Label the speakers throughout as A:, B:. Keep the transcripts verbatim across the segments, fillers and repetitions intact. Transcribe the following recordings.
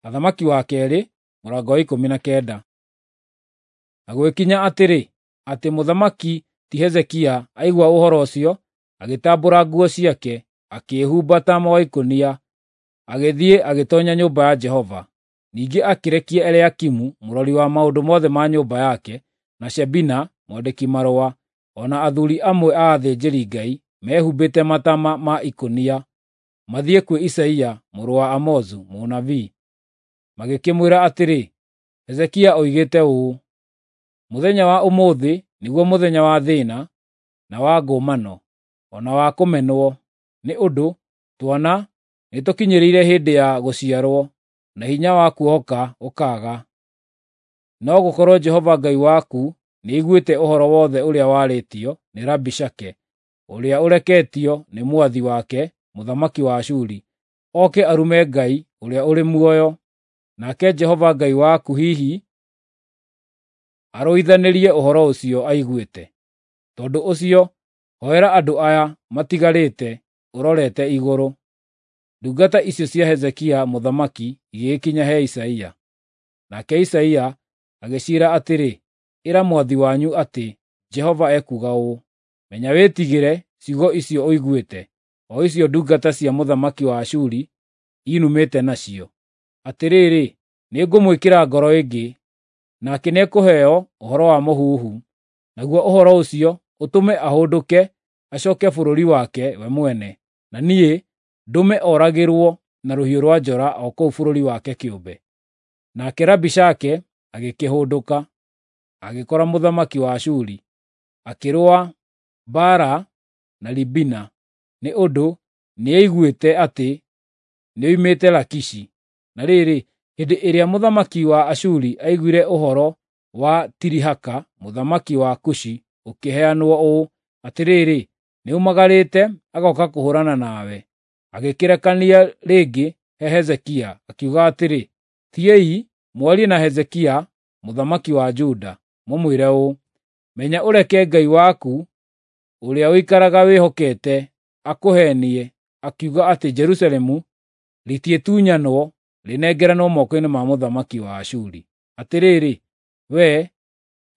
A: Athamaki wa keerĩ mũrango wa ikũmi na kenda. Na gwĩkinya atĩrĩ, atĩ mũthamaki ti Hezekia aigua ũhoro ũcio, agĩtambũra nguo ciake, akĩĩhumba taama wa ikũnia, agĩthiĩ agĩtoonya nyũmba ya Jehova. Ningĩ akĩrekia Eliakimu mũrori wa maũndũ mothe ma nyũmba yake, na Shebina mwandĩki-marũa, o na athuuri amwe a athĩnjĩri-Ngai mehumbĩte mataama ma ikũnia, mathiĩ kwĩ Isaia mũrũ wa Amozu mũnabii. Magĩkĩmwĩra atĩrĩ, Hezekia oigĩte ũũ, “Mũthenya wa ũmũthĩ nĩguo mũthenya wa thĩĩna, na wa ngũmano, o na wa kũmenwo, nĩ ũndũ twana nĩtũkinyĩrĩire hĩndĩ ya gũciarwo, na hinya wa kuohoka ũkaaga. No gũkorwo Jehova Ngai waku nĩaiguĩte ũhoro wothe ũrĩa warĩtio nĩ Rabishake, ũrĩa ũreketio nĩ mwathi wake mũthamaki wa Ashuri, oke arume Ngai ũrĩa ũrĩ muoyo. Nake Jehova Ngai waku hihi arũithanĩrie ũhoro ũcio aiguĩte. Tondũ ũcio, hoera andũ aya matigarĩte ũrorete igũrũ.” Ndungata icio cia Hezekia mũthamaki igĩgĩkinya he Isaia. Nake Isaia agĩciĩra atĩrĩ, “Ĩra mwathi wanyu atĩ Jehova ekuuga ũũ: Menya wĩtigĩre ciugo icio ũiguĩte, o icio ndungata cia mũthamaki wa Ashuri inumĩte nacio. Atĩrĩrĩ, nĩngũmwĩkĩra ngoro ĩngĩ, nake nĩekũheo ũhoro wa mũhuhu, naguo ũhoro ũcio ũtũme ahũndũke acooke bũrũri wake we mwene, na niĩ ndũme oragĩrwo na rũhiũ rwa njora o kũu bũrũri wake kĩũmbe.” Nake Rabishake agĩkĩhũndũka, agĩkora mũthamaki wa Ashuri, akĩrũa mbaara na Libina, nĩ ũndũ nĩaiguĩte atĩ nĩoimĩte Lakishi. Na rĩrĩ, hĩndĩ ĩrĩa mũthamaki wa Ashuri aiguire ũhoro wa Tirihaka mũthamaki wa Kushi ũkĩheanwo ũũ, atĩrĩrĩ, nĩaumagarĩte agooka kũhũũrana nawe, agĩkĩrekania rĩngĩ he Hezekia, akiuga atĩrĩ, “Thiĩi mwarie na Hezekia mũthamaki wa Juda, mũmwĩre ũũ: Menya ũreke Ngai waku ũrĩa ũikaraga wĩhokete akũheenie akiuga atĩ Jerusalemu rĩtiĩtunyanwo rĩnengeranwo moko-inĩ ma mũthamaki wa Ashuri. Atĩrĩrĩ, wee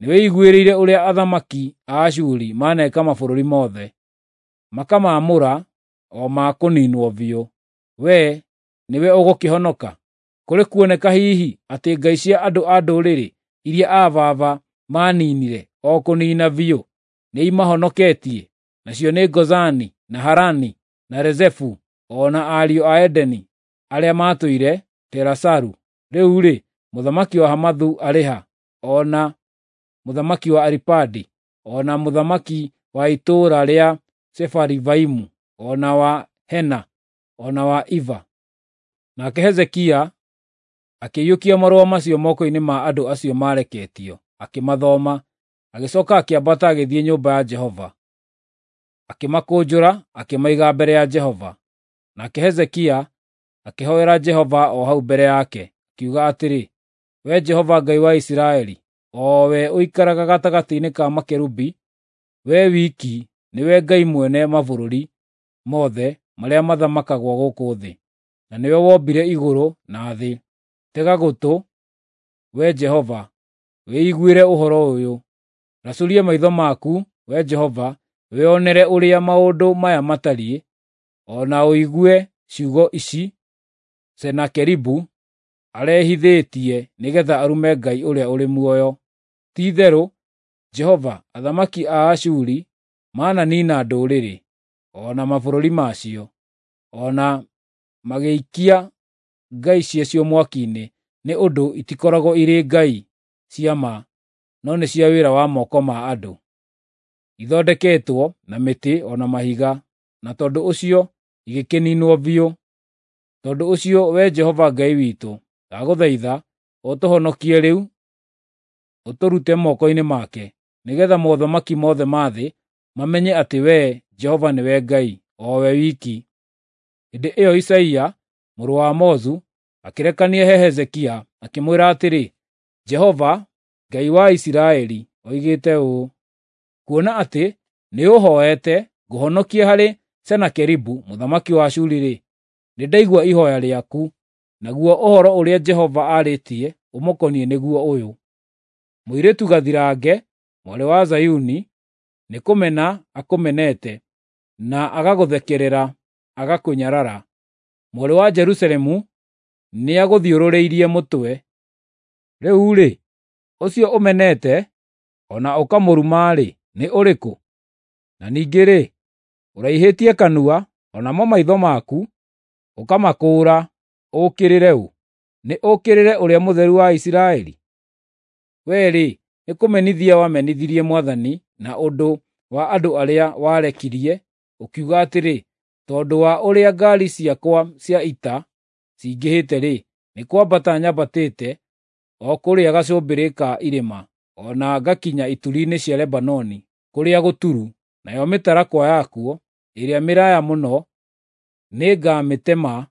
A: nĩwĩiguĩrĩire ũrĩa athamaki a Ashuri maneeka mabũrũri mothe, makamaamũra o ma kũniinwo biũ. Wee nĩwe ũgũkĩhonoka? Kũrĩ kuoneka hihi atĩ ngai cia andũ a ndũrĩrĩ iria aa baba maaniinire o kũniina biũ nĩimahonoketie, nacio nĩ Gozani, na Harani, na Rezefu, o na ariũ a Edeni arĩa maatũire Telasaru? Rĩu-rĩ, mũthamaki wa Hamathu arĩ ha, o na mũthamaki wa Aripadi, o na mũthamaki wa itũũra rĩa Sefarivaimu, o na wa Hena, o na wa Iva?” Nake Hezekia akĩiyũkia marũa macio moko-inĩ ma andũ acio maareketio, akĩmathoma. Agĩcooka akĩambata agĩthiĩ nyũmba ya Jehova, akĩmakũnjũra akĩmaiga mbere ya Jehova. Nake Hezekia akĩhoera Jehova o hau mbere yake, akiuga atĩrĩ, “Wee Jehova Ngai wa Isiraeli, o we ũikaraga gatagatĩ-inĩ ka makerubi, wee wiki nĩwe Ngai mwene mabũrũri mothe marĩa mathamakagwo gũkũ thĩ, na nĩwe wombire igũrũ na thĩ. Tega gũtũ, Wee Jehova, wĩiguĩre ũhoro ũyũ. Racũria maitho maku, Wee Jehova, wĩonere ũrĩa maũndũ maya matariĩ, o na ũigue ciugo ici Senakeribu arehithĩtie nĩgeetha arume Ngai ũrĩa ũrĩ muoyo. Ti-itherũ, Jehova, athamaki a Ashuri mananiina ndũrĩrĩ, o na mabũrũri macio, o na magĩikia ngai ciacio mwaki-inĩ, nĩ ũndũ itikoragwo irĩ ngai cia ma, no nĩ cia wĩra wa moko ma andũ, ithondeketwo na mĩtĩ o na mahiga, na tondũ ũcio igĩkĩniinwo biũ. Tondũ ũcio, Wee Jehova Ngai witũ, ndagũthaitha ũtũhonokie rĩu ũtũrute moko-inĩ make, nĩgeetha mothamaki mothe ma thĩ mamenye atĩ Wee Jehova nĩwe Ngai, o we wiki. Hĩndĩ ĩyo Isaia mũrũ wa Amozu akĩrekania he Hezekia, akĩmwĩra atĩrĩ, “Jehova, Ngai wa Isiraeli, oigĩte ũũ: Kuona atĩ nĩũhooete ngũhonokie harĩ Senakeribu mũthamaki wa Ashuri-rĩ, nĩndaigua ihooya rĩaku. Naguo ũhoro ũrĩa Jehova aarĩtie ũmũkoniĩ nĩguo ũyũ: Mũirĩtu gathirange, mwarĩ wa Zayuni, nĩkũmena akũmenete, na agagũthekerera agakũnyarara. Mwarĩ wa Jerusalemu nĩagũthiũrũrĩirie mũtwe. Rĩu-rĩ, ũcio ũmenete o na ũkamũruma-rĩ, nĩ ũrĩkũ? Na ningĩ-rĩ, ũraihĩtie kanua, o namo maitho maku ũkamakũũra ũũkĩrĩre ũ? Nĩ ũũkĩrĩre Ũrĩa Mũtheru wa Isiraeli? Wee-rĩ, nĩkũmenithia wamenithirie Mwathani na ũndũ wa andũ arĩa warekirie, ũkiuga atĩrĩ, ‘Tondũ wa ũrĩa ngaari ciakwa cia ita cingĩhĩte-rĩ, nĩ kwambata nyambatĩte o kũrĩa gacũmbĩrĩ ka irĩma, o na ngakinya ituri-inĩ cia Lebanoni kũrĩa gũturu, nayo mĩtarakwa yakuo ĩrĩa mĩraaya mũno nĩngamĩtema,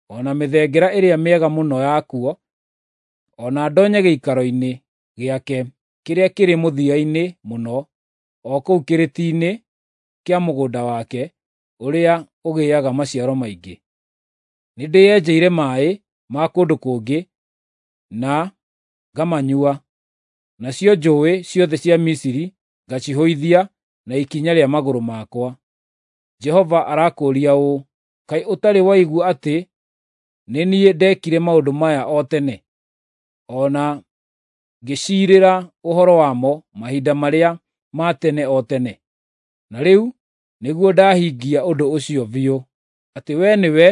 A: o na mĩthengera ĩrĩa mĩega mũno yakuo, o na ndonye gĩikaro-inĩ gĩake kĩrĩa kĩrĩ mũthia-inĩ mũno, o kũu kĩrĩti-inĩ kĩa mũgũnda wake ũrĩa ũgĩaga maciaro maingĩ. Nĩndĩyenjeire maaĩ ma kũndũ kũngĩ na ngamanyua, nacio njũũĩ ciothe cia Misiri ngacihũithia na ikinya rĩa magũrũ makwa.’ Jehova arakũũria ũũ, ‘Kaĩ ũtarĩ waigua atĩ nĩ niĩ ndeekire maũndũ maya o tene, o na ngĩciirĩra ũhoro wamo mahinda marĩa ma tene o tene? Na rĩu nĩguo ndahingia ũndũ ũcio biũ, atĩ wee nĩwe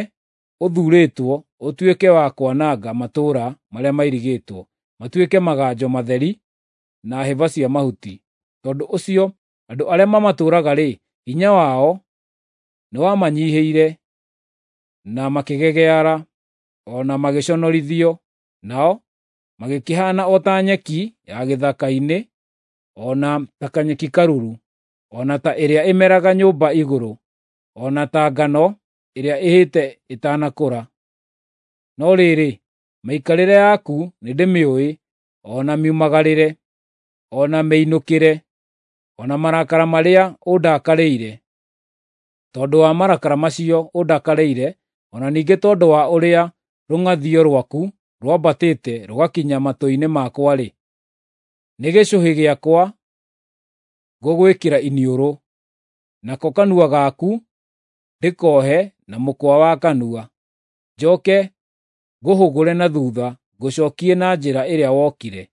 A: ũthuurĩtwo ũtuĩke wa kwananga matũũra marĩa mairigĩtwo, matuĩke maganjo matheri na hĩba cia mahuti. Tondũ ũcio andũ arĩa mamatũũraga-rĩ, hinya wao nĩwamanyiihĩire, na makĩgegeara, o na magĩconorithio, nao magĩkĩhaana o ta nyeki ya gĩthaka-inĩ, o na ta kanyeki karuru, o na ta ĩrĩa ĩmeraga nyũmba igũrũ, o na ta ngano ĩrĩa ĩhĩte ĩtanakũra. No rĩrĩ, mĩikarĩre yaku nĩndĩmĩũĩ, o na miumagarĩre, o na mĩinũkĩre, o na marakara marĩa ũndakarĩire. Tondũ wa marakara macio ũndakarĩire, o na ningĩ tondũ wa ũrĩa rũng'athio rwaku rwambatĩte rũgakinya matũ-inĩ makwa-rĩ, nĩ gĩcũhĩ gĩakwa ngũgwĩkĩra iniũrũ, nako kanua gaku ndĩkohe na mũkwa wa kanua, njoke ngũhũgũre na thutha ngũcookie na njĩra ĩrĩa wokire.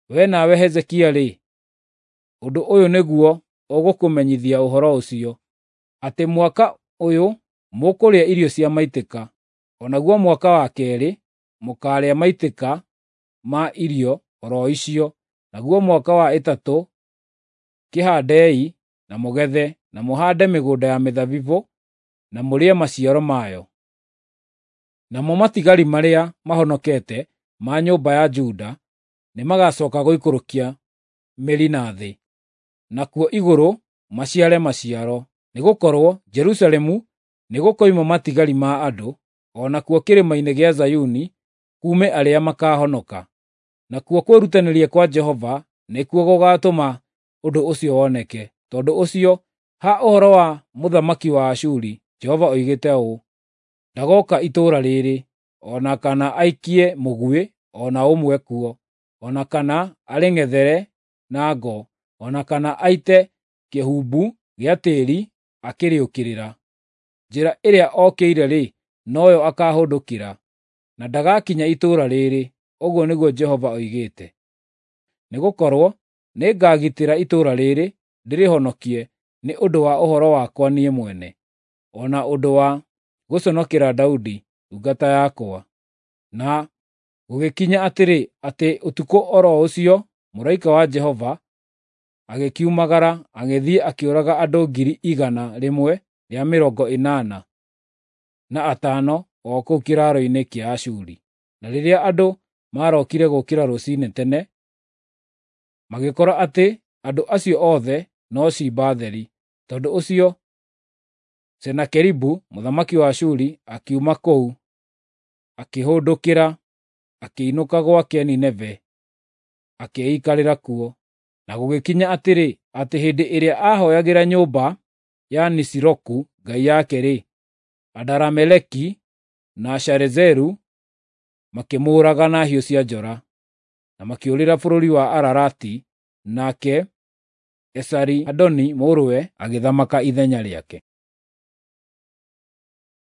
A: Wee nawe Hezekia-rĩ, ũndũ ũyũ nĩguo ũgũkũmenyithia ũhoro ũcio, atĩ mwaka ũyũ mũkũrĩa irio cia maitĩka, o naguo mwaka wa keerĩ mũkaarĩa maitĩka ma irio o ro icio, naguo mwaka wa ĩtatũ kĩhaandei na mũgethe, na mũhaande mĩgũnda ya mĩthabibũ na mũrĩe maciaro mayo. Namo matigari marĩa mahonokete ma nyũmba ya Juda nĩmagacooka gũikũrũkia mĩri na thĩ, nakuo igũrũ maciare maciaro, nĩgũkorwo Jerusalemu nĩgũkoima matigari ma andũ, o nakuo kĩrĩma-inĩ gĩa Zayuni kuume arĩa makaahonoka. Nakuo kwĩrutanĩria kwa Jehova nĩkuo gũgaatũma ũndũ ũcio woneke. Tondũ ũcio, ha ũhoro wa mũthamaki wa Ashuri, Jehova oigĩte ũũ: Ndagooka itũũra rĩrĩ, o na kana aikie mũguĩ o na ũmwe kuo, o na kana arĩng'ethere na ngo, o na kana aite kĩhumbu gĩa tĩĩri akĩrĩũkĩrĩra. Njĩra ĩrĩa okĩire-rĩ, noyo akaahũndũkĩra, na ndagakinya itũũra rĩrĩ, ũguo nĩguo Jehova oigĩte. Nĩgũkorwo nĩngagitĩra itũũra rĩrĩ ndĩrĩhonokie nĩ ũndũ wa ũhoro wakwa niĩ mwene, o na ũndũ wa gũconokera Daudi ndungata yakwa. Na gũgĩkinya atĩrĩ, atĩ ũtukũ o ro ũcio mũraika wa Jehova agĩkiumagara agĩthiĩ akĩũraga andũ ngiri igana rĩmwe rĩa mĩrongo ĩnana na atano o kũu kĩraaro-inĩ kĩa Ashuri. Na rĩrĩa andũ maarokire gũũkĩra rũciinĩ tene, magĩkora atĩ andũ acio othe no ciimba theri. Tondũ ũcio Senakeribu mũthamaki wa Ashuri akiuma kũu akĩhũndũkĩra akĩinũka gwake Nineve akĩĩikarĩra kuo. Na gũgĩkinya atĩrĩ, atĩ hĩndĩ ĩrĩa aahooyagĩra nyũmba ya Nisiroku ngai yake-rĩ, Adarameleki na Sharezeru makĩmũũraga na hiũ cia njora, na makĩũrĩra bũrũri wa Ararati, nake Esari-Hadoni mũrũwe agĩthamaka ithenya rĩake.